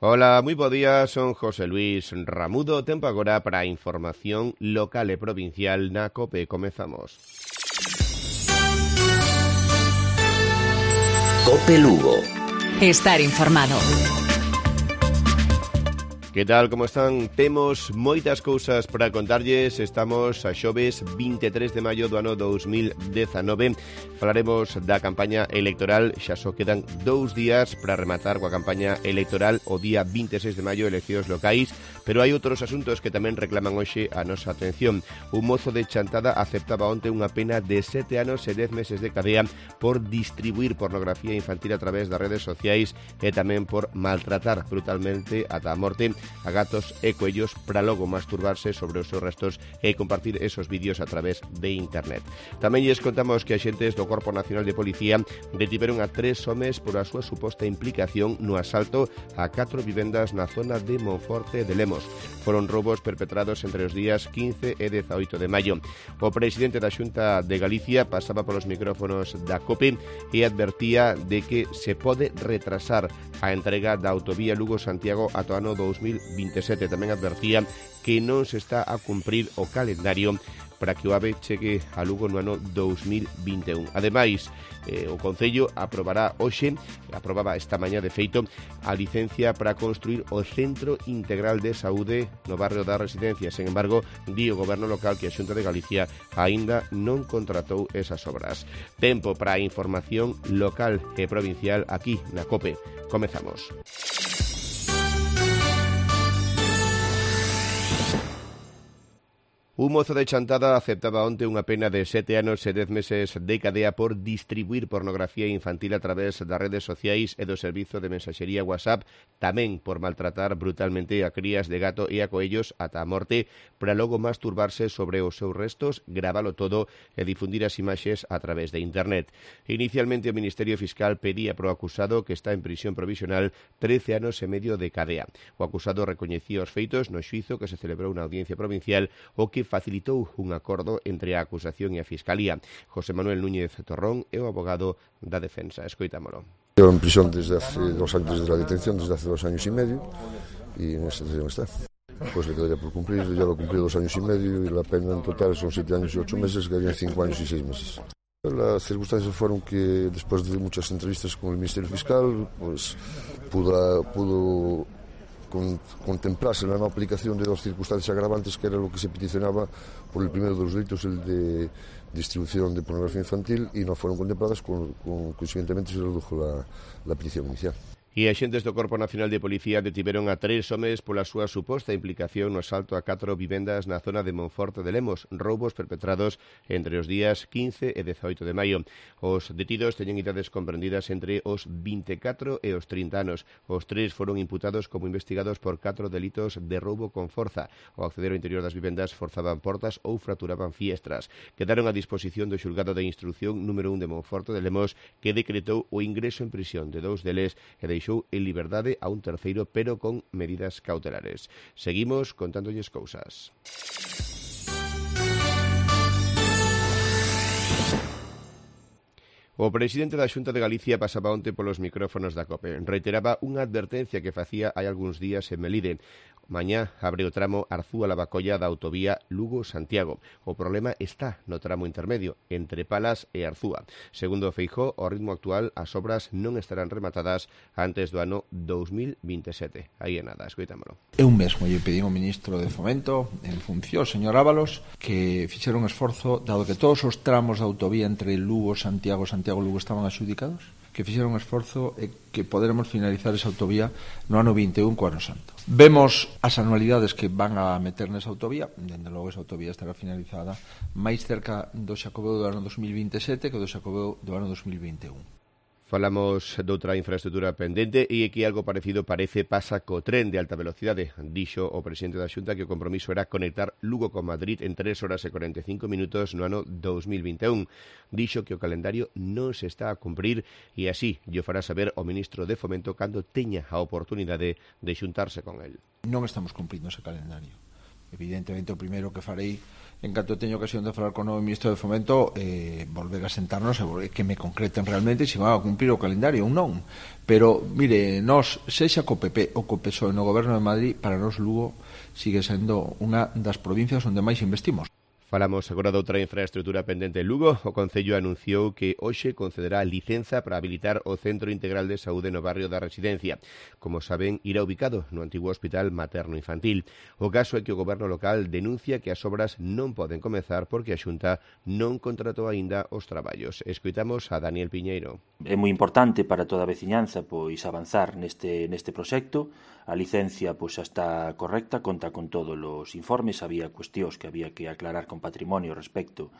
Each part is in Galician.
Ola, moi bo día, son José Luis Ramudo. Tempo agora para a información local e provincial na COPE. Comezamos. COPE Lugo. Estar informado. Que tal, como están? Temos moitas cousas para contarlles. Estamos a xoves 23 de maio do ano 2019. Falaremos da campaña electoral. Xa só quedan 2 días para rematar coa campaña electoral o día 26 de maio, eleccións locais. Pero hai outros asuntos que tamén reclaman hoxe a nosa atención. Un mozo de Chantada aceptaba onte unha pena de 7 anos e 10 meses de cadea por distribuir pornografía infantil a través das redes sociais e tamén por maltratar brutalmente ata a morte a gatos e coellos para logo masturbarse sobre os seus restos e compartir esos vídeos a través de internet. Tamén lles contamos que axentes do Corpo Nacional de Policía detiveron a 3 homes por a súa suposta implicación no asalto a 4 vivendas na zona de Monforte de Lemos. Foron roubos perpetrados entre os días 15 e 18 de maio. O presidente da Xunta de Galicia pasaba polos micrófonos da COPE e advertía de que se pode retrasar a entrega da autovía Lugo-Santiago ata o ano 2027. Tamén advertía que non se está a cumprir o calendario para que o AVE chegue a Lugo no ano 2021. Ademais, o Concello aprobaba esta mañá de feito a licencia para construir o Centro Integral de Saúde no barrio da Residencia. Sen embargo, di o Goberno local que a Xunta de Galicia aínda non contratou esas obras. Tempo para a información local e provincial aquí na COPE. Comezamos. Un mozo de Chantada aceptaba onte unha pena de 7 anos e 10 meses de cadea por distribuir pornografía infantil a través das redes sociais e do servizo de mensaxería WhatsApp, tamén por maltratar brutalmente a crías de gato e a coellos ata a morte, para logo masturbarse sobre os seus restos, gravalo todo e difundir as imaxes a través de internet. Inicialmente o Ministerio Fiscal pedía pro acusado, que está en prisión provisional, 13 anos e medio de cadea. O acusado recoñecía os feitos no xuízo que se celebrou na Audiencia Provincial, o que facilitou un acordo entre a acusación e a Fiscalía. José Manuel Núñez Torrón é o abogado da defensa. Escoitámolo. Llevo en prisión desde hace 2 años de la detención, desde hace 2 años y medio, y en esta situación está. Pues le quedaría por cumplir, ya lo he cumplido 2 años y medio, y la pena en total son 7 años y 8 meses, quedarían 5 años y 6 meses. Las circunstancias fueron que después de muchas entrevistas con el Ministerio Fiscal, pues pudo contemplarse la no aplicación de 2 circunstancias agravantes, que era lo que se peticionaba por el primero de los delitos, el de distribución de pornografía infantil, y no fueron contempladas, consiguientemente se redujo la petición inicial. E axentes do Corpo Nacional de Policía detiveron a 3 homes pola súa suposta implicación no asalto a 4 vivendas na zona de Monforte de Lemos, roubos perpetrados entre os días 15 e 18 de maio. Os detidos teñen idades comprendidas entre os 24 e os 30 anos. Os 3 foron imputados como investigados por 4 delitos de roubo con forza. Ao acceder ao interior das vivendas forzaban portas ou fraturaban fiestras. Quedaron a disposición do xulgado de instrucción número 1 de Monforte de Lemos, que decretou o ingreso en prisión de 2 deles e deixou en liberdade a un terceiro, pero con medidas cautelares. Seguimos contándolles cousas. O presidente da Xunta de Galicia pasaba onte polos micrófonos da COPE. Reiteraba unha advertencia que facía hai algúns días en Melide. Mañá abre o tramo Arzúa-Lavacolla da autovía Lugo-Santiago. O problema está no tramo intermedio, entre Palas e Arzúa. Segundo Feijóo, ao ritmo actual, as obras non estarán rematadas antes do ano 2027. Aí é nada, escoitámolo. Eu mesmo lle pedín ao ministro de Fomento, en función, señor Ábalos, que fixera un esforzo, dado que todos os tramos da autovía entre Lugo-Santiago Lugo estaban adxudicados, que fixeron un esforzo e que poderemos finalizar esa autovía no ano 21 co ano santo. Vemos as anualidades que van a meter nesa autovía, dende logo esa autovía estará finalizada máis cerca do Xacobeo do ano 2027 que do Xacobeo do ano 2021. Falamos doutra infraestrutura pendente e que algo parecido pasa co tren de alta velocidade. Dixo o presidente da Xunta que o compromiso era conectar Lugo con Madrid en 3 horas e 45 minutos no ano 2021. Dixo que o calendario non se está a cumprir e así lle fará saber o ministro de Fomento cando teña a oportunidade de xuntarse con el. Non estamos cumprindo ese calendario. evidentemente o primeiro que farei en canto teño ocasión de falar con o novo ministro de Fomento, volver a sentarnos e que me concreten realmente se van a cumprir o calendario ou non. Pero, mire, nós, sexa co PP ou co PSOE no goberno de Madrid, para nós Lugo sigue sendo unha das provincias onde máis investimos. Falamos agora de outra infraestructura pendente en Lugo. O Concello anunciou que hoxe concederá licenza para habilitar o Centro Integral de Saúde no barrio da Residencia. Como saben, irá ubicado no antigo Hospital Materno-Infantil. O caso é que o goberno local denuncia que as obras non poden comezar porque a Xunta non contratou aínda os traballos. Escoitamos a Daniel Piñeiro. É moi importante para toda a veciñanza pois avanzar neste proxecto. A licencia pois xa está correcta, conta con todos os informes, había cuestións que había que aclarar con patrimonio respecto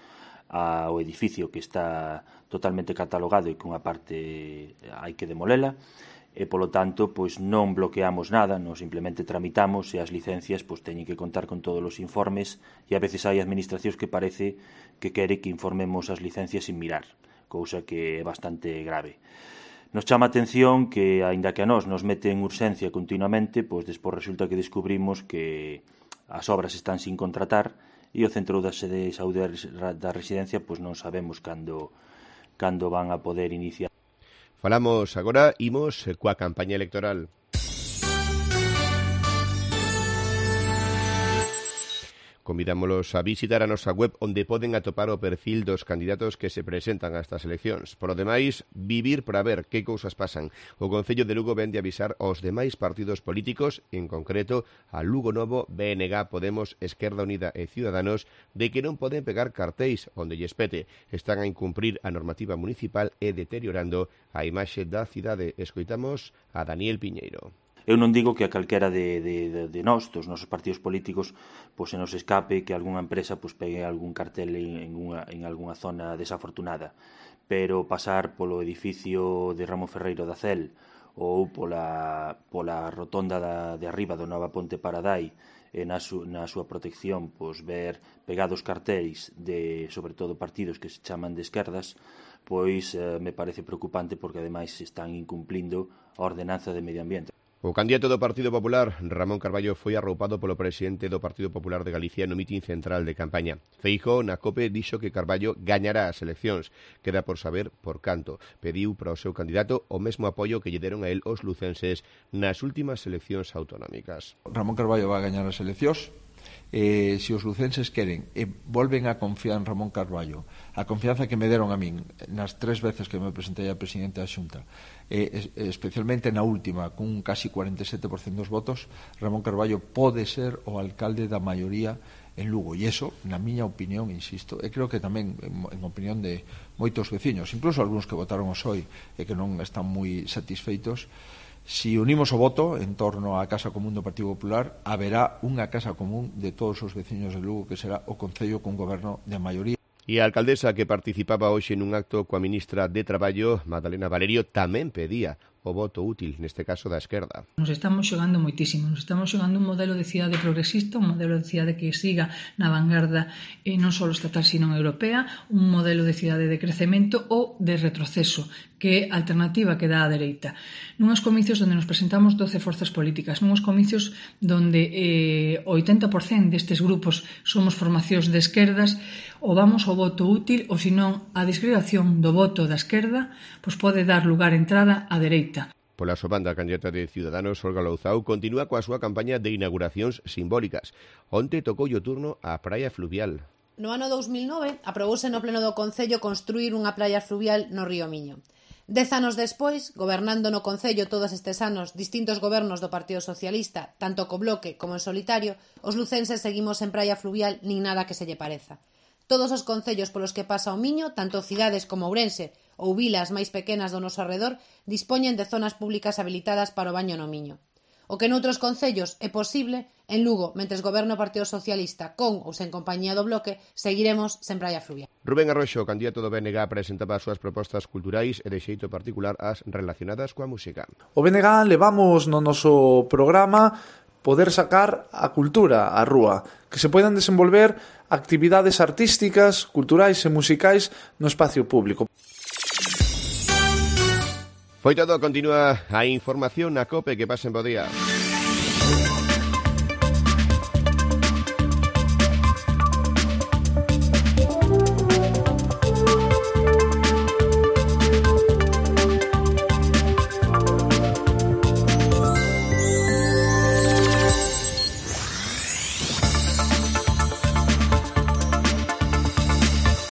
ao edificio que está totalmente catalogado e que unha parte hai que demolela e polo tanto pois non bloqueamos nada, non simplemente tramitamos e as licencias pois teñen que contar con todos os informes e a veces hai administracións que parece que quere que informemos as licencias sin mirar, cousa que é bastante grave. Nos chama a atención que, aínda que a nos meten urxencia continuamente, pois despois resulta que descubrimos que as obras están sin contratar e o Centro de Saúde da Residencia pois non sabemos cando van a poder iniciar. Falamos agora, imos coa campaña electoral. Convidámolos a visitar a nosa web onde poden atopar o perfil dos candidatos que se presentan a estas eleccións. Por o demais, vivir para ver que cousas pasan. O Concello de Lugo vende avisar aos demais partidos políticos, en concreto a Lugo Novo, BNG, Podemos, Esquerda Unida e Ciudadanos, de que non poden pegar cartéis onde lles pete. Están a incumprir a normativa municipal e deteriorando a imaxe da cidade. Escoitamos a Daniel Piñeiro. Eu non digo que a calquera de nós, dos nosos partidos políticos, pois se nos escape que algunha empresa pois pegue algún cartel en algunha zona desafortunada, pero pasar polo edificio de Ramón Ferreiro da CEL ou pola rotonda de arriba do Nova Ponte Paradai e na súa protección pois ver pegados cartéis de, sobre todo, partidos que se chaman de esquerdas, pois me parece preocupante porque ademais están incumplindo a ordenanza de medio ambiente. O candidato do Partido Popular, Ramón Carballo, foi arroupado polo presidente do Partido Popular de Galicia no mitin central de campaña. Feijóo, na COPE, dixo que Carballo gañará as eleccións. Queda por saber por canto. Pediu para o seu candidato o mesmo apoio que lle deron a él os lucenses nas últimas eleccións autonómicas. Ramón Carballo va a gañar as eleccións. Se os lucenses queren e volven a confiar en Ramón Carballo, a confianza que me deron a min nas 3 veces que me presentei a presidente da Xunta, especialmente na última, cun casi 47% dos votos, Ramón Carballo pode ser o alcalde da maioría en Lugo, e iso, na miña opinión, insisto, e creo que tamén en opinión de moitos veciños, incluso algúns que votaron o PSOE e que non están moi satisfeitos. Si unimos o voto en torno á Casa Común do Partido Popular, haberá unha Casa Común de todos os veciños de Lugo, que será o Concello con goberno de maioría. E a alcaldesa que participaba hoxe nun acto coa ministra de Traballo, Madalena Valerio, tamén pedía o voto útil, neste caso da esquerda. Nos estamos xogando moitísimo, nos estamos xogando un modelo de cidade progresista, un modelo de cidade que siga na vanguarda non só estatal, sino europea, un modelo de cidade de crecemento ou de retroceso, que é a alternativa que dá a dereita. Nuns comicios onde nos presentamos 12 forzas políticas, nuns comicios onde o 80% destes grupos somos formacións de esquerdas, ou vamos ao voto útil, ou senón a disgregación do voto da esquerda pois pode dar lugar a entrada á dereita. Pola súa banda, a candidata de Ciudadanos, Olga Louzao, continúa coa súa campaña de inauguracións simbólicas. Onte tocou o turno á praia fluvial. No ano 2009, aprobouse no pleno do Concello construir unha praia fluvial no río Miño. 10 anos despois, gobernando no Concello todos estes anos distintos gobernos do Partido Socialista, tanto co Bloque como en solitario, os lucenses seguimos en praia fluvial nin nada que se lle pareza. Todos os concellos polos que pasa o Miño, tanto cidades como Ourense ou vilas máis pequenas do noso arredor, dispoñen de zonas públicas habilitadas para o baño no Miño. O que noutros concellos é posible, en Lugo, mentres goberno o Partido Socialista con ou sen compañía do Bloque, seguiremos sen praia fluvial. Rubén Arroxo, candidato do BNG, presentaba as súas propostas culturais e de xeito particular as relacionadas coa música. O BNG levamos no noso programa poder sacar a cultura á rúa, que se poidan desenvolver actividades artísticas, culturais e musicais no espacio público. Foi todo, continúa a información na COPE, que pasen bo día.